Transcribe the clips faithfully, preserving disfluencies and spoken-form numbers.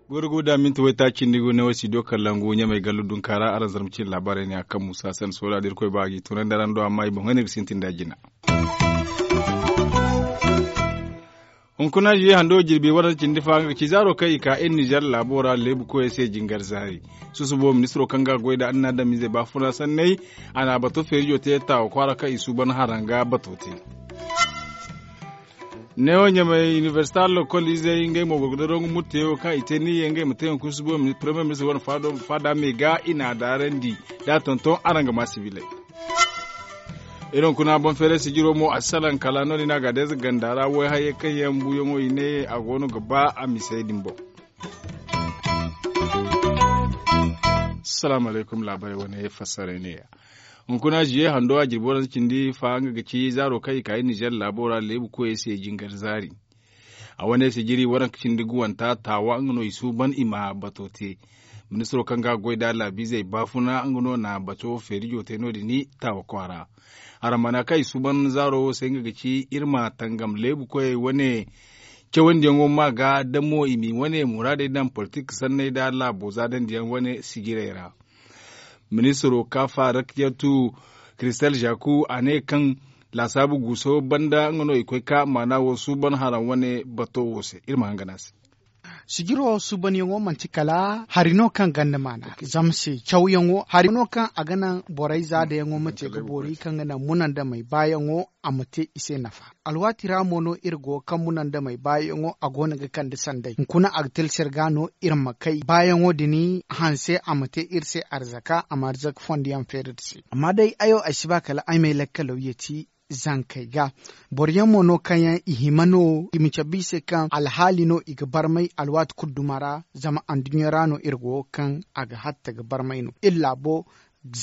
Gurgu da minti wayta cindi gu ne wo studio kalangu ɲamay gallu dunkaara araŋ zarma cine laabaarey ne a kaŋ musa sanda soola da irkoy ba a g'i tunandi araŋ do amma i boŋ hane ga sintin da jina. Hunkuna ziye hando jirbi warante cindi fa nga ga ci zaaro kaŋ i ka iri nizer laabo ra leebu koyey se jingar zaari. Susubo ministiro kaŋ ga goy nda annaadamizey baafuna sanney, a na a bato feerijo te taawa kwaara kaŋ i suuban haraŋ ga bato te. Neewo ɲamey inibersita lokol izey ngey mo borgodarangu murteyo kaŋ i te niyyey ngey ma te hunkuna susubo premier ministir wane faada me ga i na a daarandi. Da a tonton araŋ ga ma sibiley. Iri hunkuna boŋ feeray sijiro mo a si salaŋ kala no- din a ga deeza ganda ra wayhayey kaŋ yaŋ buuyaŋo i ne a go no ga ba a misey din boŋ. Salaamu alaykum laabarey wane fassaray ne ya. Hunkuna ziye hando a jirbi waranka cindi fa nga ga ci zaaro kaŋ i ka iri nizer laabo ra leebu koyey se jingar zaari. A wane sijiri waranka cindi guwanta taawa nga no i suuban i ma bato te. Ministiro kaŋ ga goy da laabiizey baafuna nga no na bato feerijo te no- din taawa kwaara. Haramana kaŋ i suuban zaaro wo se nga ga ci iri ma tangam leebu koyey wane cawandiyaŋo ma ga damo i m'i wane muraadey daŋ politik sanney da laabo zaadandiyaŋ wane sijirey ra. Ministiro kaafa rakiyatu kiristal zaku a ne kaŋ laasaabu guuso banda nga no i koy ka maana wo suuban haraŋ wane bato wo se iri ma hangan a se. Sijiro suubanyaŋo manti kala hari no kaŋ ganda maana zama se cawyaŋo hari no kaŋ a ga naŋ borey zaadayaŋo ma te ga boori kaŋ ga naŋ munandamey baayaŋo a ma te i se nafa. Alwaati ra mo no iri go ga kaŋ munandamey baayaŋo a go no ga kande sanday hunkuna a ga tilsir ga no iri ma kay baayaŋo din hanse a ma te iri se arzaka a ma arzaka fondiyaŋ feeri da se amma day ayo ay si ba kala ay m'ay lakkalaw yeti zankey ga. Boro yaŋ mo no kaŋ yaŋ i hima no i ma cabe i se kaŋ alhaali no i ga barmay alwaati kulu duma ra zama anduɲɲa ra no iri go kaŋ a ga hatta ga barmay no iri laabo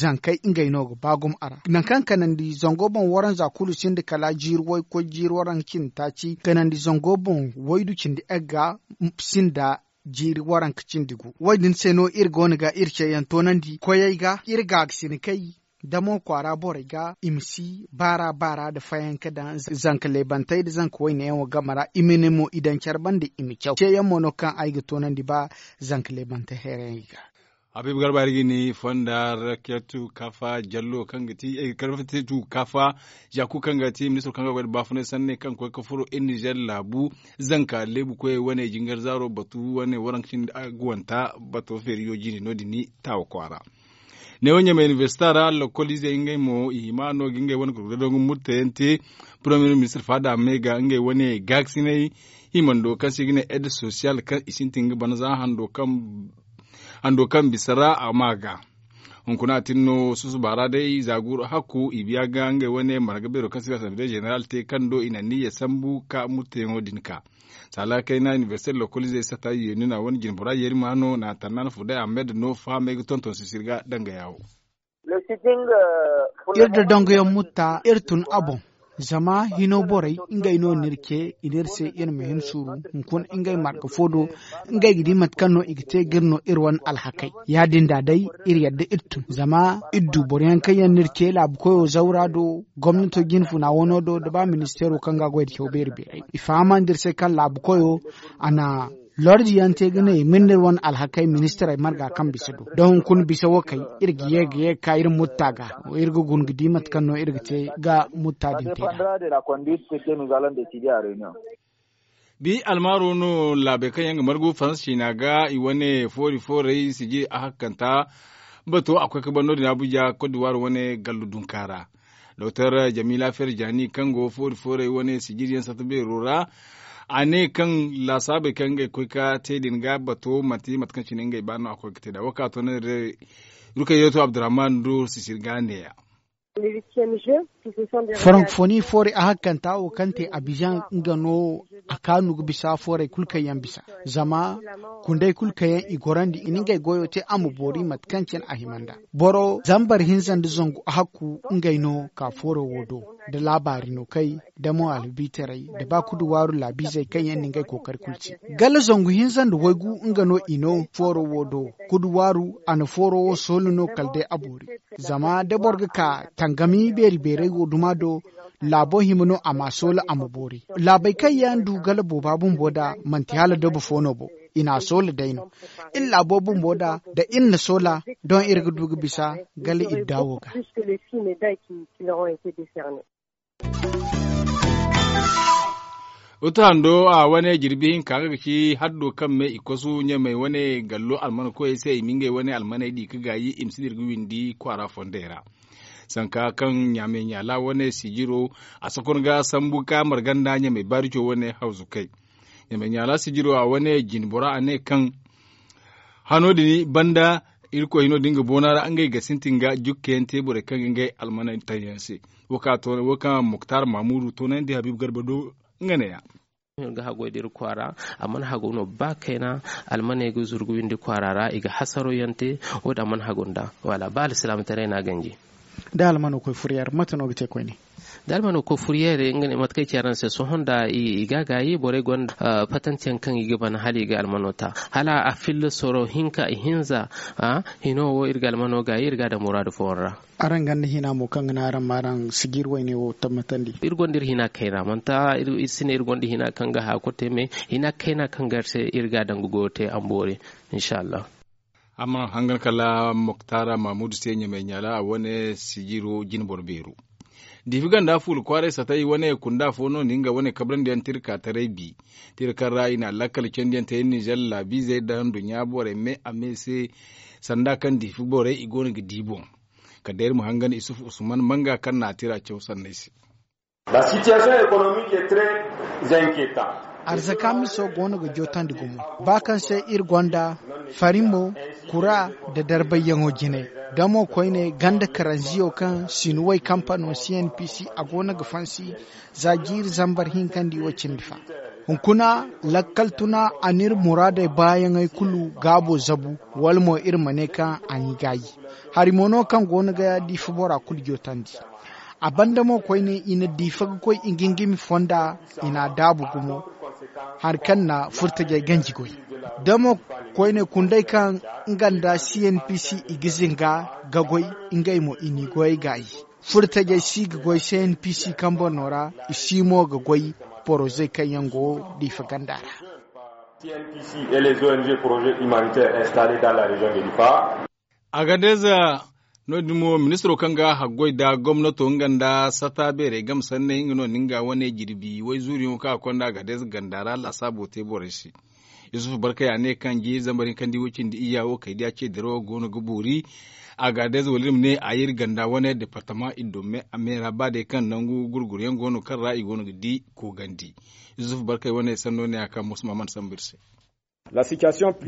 zankey ngey no ga ba gumo a ra nangu kaŋ kanandi zango boŋ waranza kulu sinda kala jiiri waykoy jiiri waranka cindi taaci kanandi zango boŋ waydu cindi egga sinda jiiri waranka cindi gu wo- din se no iri go no ga iri ceeyaŋ toonandi koyey ga iri ga ga sinikay damo kwaara borey ga i ma si baara baara nda fayanka daŋ zanka leebantey nda zanka wayne yaŋo game ra i ma ne mo i daŋ care banda i ma caw ceeyaŋ mo no kaŋ ay ga toonandi ba zanka leebantey hayrayaŋey ga. Habiibu garba iri ga ni fonda rakiyatu kaafa jallo kaŋ ga ti ay ga karfati tu kaafa zaku kaŋ ga ti ministiro kaŋ ga goy nda baafunay sanney kaŋ ga koy ga furo iri nizer laabu zanka leebu koyey wane jingar zaaro batu wane waranka cindi guwanta bato feeriyo jine no- din ni taawa kwaara. Neewo ɲamay inibersita ra lokol izey ngey mo i hima no ga ngey wane gurgurey dongu murteyaŋ te. Poromiyee ministir faada me ga ngey wane gaakasinay himando kaŋ se i ga ne ed sosiyal kaŋ i sintin ga bana za hando kaŋ bisa ra a ma ga hunkuna a tin no susuba ra day za guru hakku i biya ga ngey wane marga beero kaŋ se i ga asamble zeneral te kaŋ do i na niyya sambu ka murteyaŋo din ka. Saala kayna inibersite lokolize sata yeenuna wane jinbora yeeri ma no na tannan fu day a me da no fahamey ga tonton sisir ga danga yaawo. Iri da dangayaŋ mutta iri tun a boŋ. Zama hino borey ngey no n'iri ce i n'iri se iri ma hin suuru hunkuna ngey marga fo do. Ngey ga di mate kaŋ no i ga te ga iri no iri wane alhakey ya-din da day iri yadda iri tun zama iri du boro yaŋ kaŋ yaŋ n'iri ce laabu koyo zawra do gomnato jinfuna wano do da ba ministeero kaŋ ga goy da caw beeri beeray i fahamandi iri se kaŋ laabu koyo a na lordi yaŋ te ga ne i ma iri n'iri wane alhakey ministirey marga kaŋ bisa do da hunkuna bisa wo kay iri ga ye ga ye ga ka iri mutta ga iri ga guna ga di mate kaŋ no iri ga te ga mutta din te da. Bi almaaro no laabey kaŋ yaŋ ga margu faransa ciina ga i wane foori fooray sijiri a hakkanta bato a koy ga ban no- din abuja kodiwaar wane gallu dunka ra. Doktor jamila ferjani kaŋ go foori fooray wane sijiri yaŋ satta beero ra a ne kaŋ laasaabey kaŋ ngey koy ga te din ga bato manti mate kaŋ cine ngey ba no a koy ga te nd'a wo kaŋ a to no iri day. Rukayyeeto abdurrahman do sisiri ga neeya. Farankofoni foori a hakkanta wo kaŋ te abizaŋ nga no. A kaanu ga bisa foorey kulu kaŋ yaŋ bisa zama kundey kulu kaŋ yaŋ i gorandi i na ngey goyo te a ma boori mate kaŋ cine a hima nd'a. Boro zambar hinza nda zangu a hakku ngey no ka fooro wo do da laabaari no kay da mo albiitaray da ba kudu waaru laabiizey kaŋ yaŋ na ngey kookari kulu te. Gala zangu hinza nda waygu nga no i no fooro wo do. Kudu waaru a na fooro wo soola no kala day a boori. Zama da boro ga ka tangami beeri beeray wo duma do. Laabo hima no a ma soola a ma boori. Laabey kaŋ yaŋ du gala booba bumbo nd'a manti hala dobo fo no bo. I n'a soola day no iri laabo bumbo nd'a da iri na soola. Doŋ iri ga du ga bisa gala iri daawo ga. Utu hando a wane jirbi hinka nga ga ci haddo kaŋ me i kosu ɲamey wane gallo almana koyey se i ma ngey wane almaney di ga gaayi i ma si dira ga windi kwaara fondey ra. Sanka kaŋ ɲaamey ɲaala wane sijiro a sakon ga sambu ka marganda ɲamey baarico wane hawzukey. Ɲamey ɲaala sijiro a wane jinbora a ne kaŋ hano din banda irkoy hino din ga boona ra ngey ga sintin ga jukkayaŋ te borey kaŋ ga ngey almaney taŋ yaŋ se. Wo kaŋ muktar mamudu toonandi habiibu garba do nga ne ya. Iri ga hagoy da iri kwaara a mana hago no ba kayna. Almaney ga zuru ga windi kwaara ra i ga hasaro yaŋ te. Wo- din a mana hago nd'a wala ba alsilaamataray no a ganji. Da almano koy furiyar mate no ga te koyne? Da almano koy furiyar nga ne mate kaŋ ay ci araŋ se sohõ nda i ga a gaayi borey gonda fatantiyaŋ kaŋ i ga ban hala i ga almano ta hala a filla soro hinka i hinza. Hino wo iri ga almano gaayi iri ga a daŋ muraadu fooyaŋ ra. Araŋ ganda hina mo kaŋ ga naŋ araŋ ma araŋ sijir wayne wo tabbatandi? Iri gonda iri hina kayna manti iri si ne iri gonda hina kaŋ ga haaku te me hina kayna kaŋ ga iri se iri ga a daŋ ga goyo te a ma boori. Inshallah. Amma hangan kala moktar mamudu se ɲamey ɲaala a wane sijiro jine boro beero. Diifi ganda fuula kwaaray satay wane kunda fo no ni nga wane kabrandi yaŋ tirka taray bi. Tirka ra i na lakkal candi yaŋ te nizer laabiizey da nduɲɲa borey me a me se. Sanda kaŋ diifi borey i go no ga di boŋ. Kala day iri ma hangan isufu usman manga kaŋ na a tira caw sanney se. La sitiyasiyoŋ ekonomik e tre zenketan. Arzaka miso go no ga jootandi gumo ba kaŋ se iri gonda farimo kura nda darbayyaŋo jine. Da mo koyne ganda karanziyo kaŋ sinuwey kampano cnpc a go no ga fansi za jiiri zambar hinkandi wo cindi fa. Hunkuna lakkal tuna a n'iri muraadey baayaŋey kulu gaabo zabu wala mo iri ma ne kaŋ a n'i gaayi. Hari mo no kaŋ go no ga diifa bora kulu jootandi. A banda mo koyne i na diifa ga koy i ga ngimi fonda i n'a daabu gumo. Hari kaŋ na furtajey ganji goy da mo koyne kundey kaŋ nga nda cnpc i ga zinga ga goy. Ngey mo i n'i goyey gaayi. Furtajey si ga goy cnpc kambo no ra. I si mo ga goy porozey kaŋ yaŋ go diifa ganda ra. Agadez no- din mo ministiro kaŋ ga haggoy nda gomnato nga nda sata beerey game sanney nga no na nga wane jirbi wayzuuriyaŋo kaŋ a konda agadez ganda ra lasaabo te borey se. Yusuf barkay a ne kaŋ jiiri zambar hinkandi wo cindi iyya wo kay diya ce dirawo go no ga boori. Agadez wala iri ma ne a iri ganda wane departama iddo me a me ra ba day kaŋ nangu gurguryaŋ go no kaŋ ra i go no ga di koogandi. Yusuf barkay wane sanno ne a kaŋ musu ma mana sambu iri se.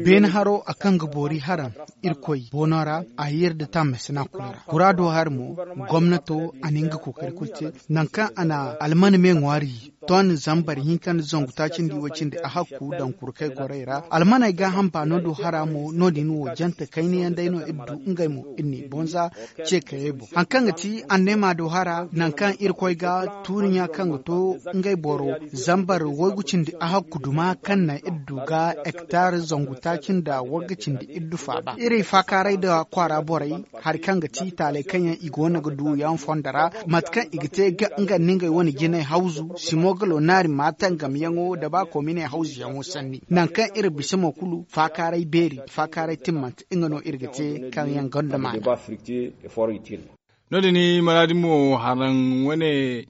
Beene haro a kaŋ ga boori haraŋ irkoy boono ra a yeeri nda taamey sina kulu ra kuraado hari mo. Gomnato a na nga kookari kulu te nangu kaŋ a na almana me ŋwaari ton zambar hinka nda zangu taaci nda i wo cindi a hakku daŋ kurkey gorey ra almaney gaaham baano do hara mo no- din wo jante kayna yaŋ day no iri du ngey mo iri n'i bonza. Ce kayey boŋ hari kaŋ ga ti anneema do hara nangu kaŋ irkoy ga tuuri ɲa kaŋ ga to ngey boro zambar waygu cindi a hakku duma kaŋ naŋ iri du ga hektar zangu taaci nda wagga cindi iri du faaba iri faakaaray nda kwaara borey. Hari kaŋ ga ti taaley kaŋ yaŋ i go no ga du yaŋ fondo ra mate kaŋ i ga te nga nda ngey wane jinay hawzu simogalo naari ma tangamyaŋo nda ba kominey hawzuyaŋo sanni nangu kaŋ iri bisa mo kulu faakaaray beeri faakaaray timmante nga no iri ga te kaŋ yaŋ gonda maana. No- din maraadi mo haraŋ wane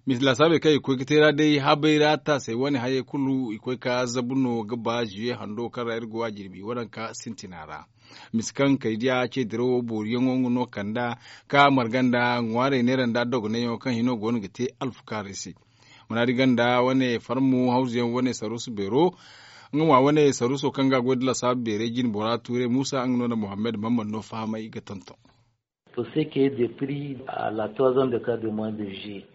misi laasaabey kaŋ i ga koy ga te ra day habay ra taasey wane hayey kulu i koy ka zabu no ga ba ziye hando kaŋ ra iri go a jirbi waranka sintina ra. Misi kaŋ kay diya ce dirawo booriyaŋo nga no kanda ka marga nda ŋwaarey neera nda dogonayyaŋo kaŋ hino go no ga te alfukaarey se. Maraadi ganda wane farmu hawzuyaŋ wane saruusu beero nga mo a wane saruuso kaŋ ga a goy nda laasaabu beerey jine bora tuuray muusa nga no nda muhammad mammad no fahamay ga tonton. Pour ce qui est des prix à la troisième décade de mois de juillet.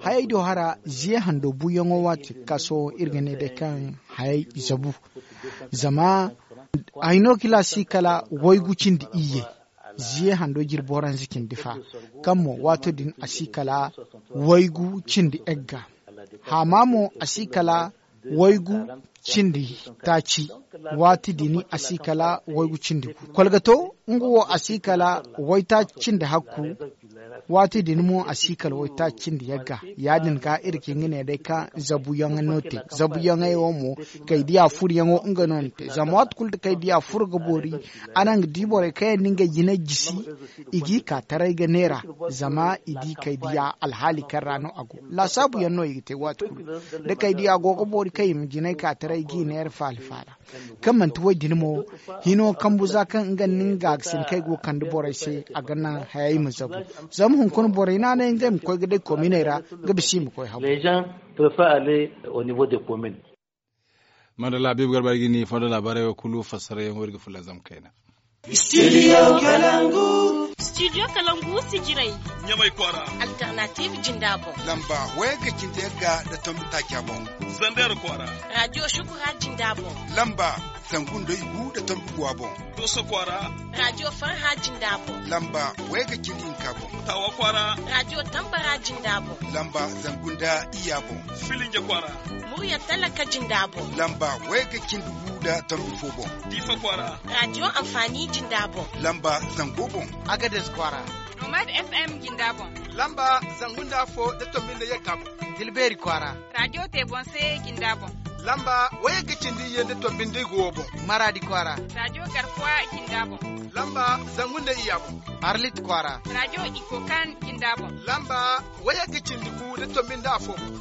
Hayey do hara ziye hando buuyaŋo waati ga ka sohõ iri ga ne day kaŋ hayey zabu. Zama ay no kila si kala waygu cindi iyye. Ziye hando jirbi waranza cindi fa kaŋ mo waato din a si kala waygu cindi egga. Haama mo a si kala waygu cindi taaci. Waati din a si kala waygu cindi gu kolgato nga wo a si kala waytaaci cindi hakku. Waati din mo a si kala waytaaci cindi yagga. Ya- din ga iri ga hin ga ne day kaŋ zabuyaŋ no te zabuyaŋey wo mo kay diya furuyaŋo nga no ni te zama waati kulu da kay diya furo ga boori. Araŋ ga di borey kaŋ yaŋ no ngey jinay jisi i g'i ka taray ga neera. Zama i di kay diya alhaali kaŋ ra no a go laasaabu yaŋ no i ga te waati kulu. Da kay diya go ga boori kaŋ i ma jinay ka taray g'i neera faala faala kaŋ manti wo- din mo hino kambu za kaŋ nga nda nga ga ga sina kaŋ ay go ga kande borey se a ga naŋ hayey ma zabu. Zama hunkuna borey naanay ngey ma koy ga day kominey ra ga bisa i ma koy habu. Madalla habiibu garba ay ga ni fondo laabaarey wo kulu fassarayaŋ wo iri ga fulanzam kayna. Studio kalangu. Studio kalangu sijirey. Ɲamay kwaara. Alternative jinda boŋ. Lamba wayga cindi yagga da tombi taaca boŋ. Zander kwaara. Radio shukura jinda boŋ. Lamba zangu nda igu da tombi guwa boŋ. Doso kwaara. Radio farha jinda boŋ. Lamba wayga cindi hinka boŋ. Tawa kwaara. Radio tambara jinda boŋ. Lamba zangu nda iyya boŋ. Filinja kwaara. Murya talaka jinda boŋ. Lamba wayga cindi gu da tombi fo boŋ. Difa kwaara. Radio amfani jinda boŋ. Lamba zango boŋ. Agades kwaara. Nomad FM jinda boŋ. Lamba zangu nda afo da tombi nda yagga boŋ. Tilbeeri kwaara. Radio te boŋ se jinda boŋ. Lamba wayagga cindi iyye nda tombi nda igu wo boŋ. Maradi kwaara. Radio garkuwa jinda boŋ. Lamba zangu nda iyya boŋ. Arlit kwaara. Radio ikokan jinda boŋ. Lamba wayagga cindi gu da tombi nda afo boŋ.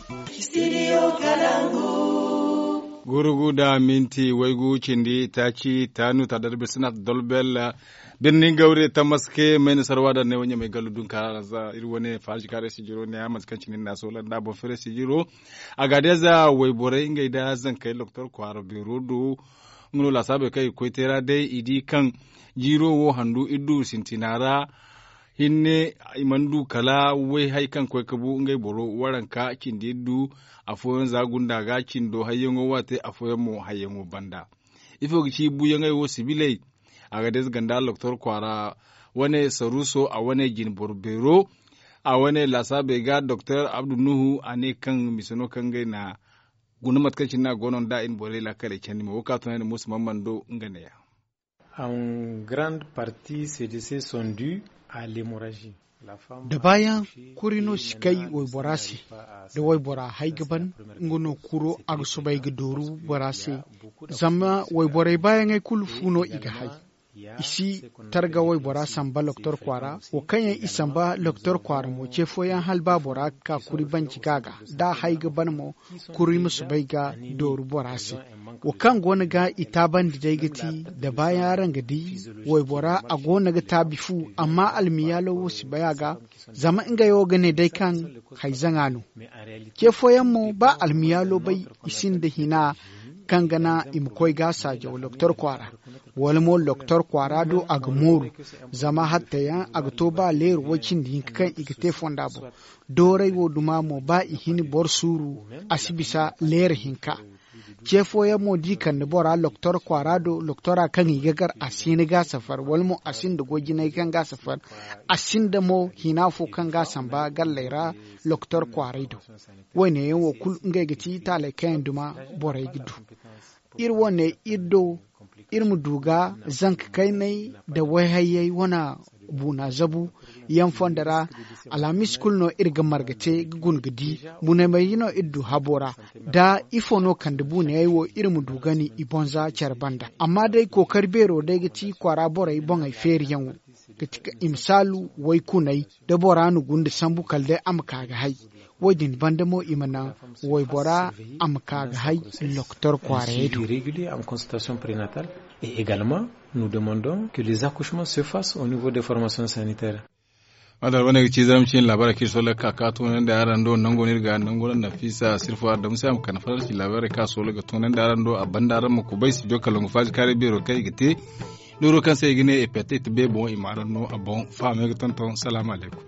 Studio kalangu. Gurugu da minti waygu cindi taaci taanu tadarbi sinat dolbel. Birni gawre tamaske mayna sarwa da ne wanya mai gallu dun kara za iri wane farji kare sijiro ne a manti kaŋ cindi na sola nda boŋ fere sijiro. A ga day za wayborey ngey da zankey loktor kwaara beero do. Nga no laasaabey kaŋ i ga koy teera day i di kaŋ jiiro wo handu iri du sintina ra. Hinne i mana du kala way hay kaŋ koy ga bu ngey boro waranka cindi iri du. Afooyaŋ za gunda ga cindo hayyaŋo waate afooyaŋ mo hayyaŋo banda. Ifo ga ci buuyaŋey wo sibiley? A ga deeze ganda loktor kwaara wane saruuso a wane jinboro beero. A wane laasaabey ga doktor abdu nuhu a ne kaŋ mise no kaŋ ngey na guna mate kaŋ cine no a go no nda i na borey laakaley candi mo wo kaŋ a tunandi muusa mamman do nga neeya. En grande partie ces décès sont dus à l'hémorragie. Da baayaŋ kuri no si kay waybora se. Da waybora hay ga ban nga no kuro a ga soobay ga dooru bora se. Zama wayborey baayaŋey kulu fu no i ga hay. I si targa waybora samba loktor kwaara wo kaŋ yaŋ i samba loktor kwaara mo ce fooyaŋ hala ba bora ga ka kuri banci ga ga da a hay ga ban mo kuri ma soobay ga dooru bora se. Wo kaŋ go no ga i taabandi day ga ti da baayaŋ araŋ ga di waybora a go no ga taabi fu amma almiyaalo wo si bay a ga. Zama ngey wo ga ne day kaŋ hayzaŋa no. Ce fooyaŋ mo ba almiyaalo bay i sinda hina kaŋ ga naŋ i ma koy ga saajaw loktor kwaara. Wala mo loktor kwaara do a ga mooru. Zama hattayaŋ a ga to ba leero way cindi hinka kaŋ i ga te fonda boŋ. Dooray wo duma mo ba i hini boro suuru a si bisa leero hinka. Ce fooyaŋ mo da i kande bora loktor kwaara do loktora kaŋ i ga gar a si hin ga safar wala mo a sinda goy jinay kaŋ ga safar. A sinda mo hina fo kaŋ ga samba galley ra loktor kwaaray do. Wo- ne yaŋ wo kulu ngey ga ti taaley kaŋ yaŋ duma borey ga du. Iri wo- ne iri do iri ma du ga zanka kayney nda wayhayyey wane buuna zabu yaŋ fonda ra. Alhamis kulu no iri ga marga te ga guna ga di buunamayey no iri du habo ra. Da ifo no kande buunayey wo iri ma du gani i bonza care banda amma day kookari beero day ga ti kwaara borey boŋey feeriyaŋo ga ti ka i ma saalu waykuney da bora na gunda sambu kala day a ma ka ga hay. Wo- din banda mo i ma naŋ waybora a ma ka ga hay loktor kwaarayey do. Suivi régulier en consultation prénatale et également nous demandons que les accouchements se fassent au niveau des formations sanitaires. Madar wane ga ci zaram cin labaara kaŋ iri sola ga ka ka tunandi araŋ do nango no iri ga nango no nafisa sirfo araŋ da musa ma kana faransi labaara kaŋ a sola ga tunandi araŋ do a banda araŋ ma kubay si jo kala ngo faaji kaari beero kaŋ i ga te. Nooro kaŋ se i ga ne i pet i ti beeboŋo i ma araŋ no a boŋ fahamey ga tonton salaamu alaykum.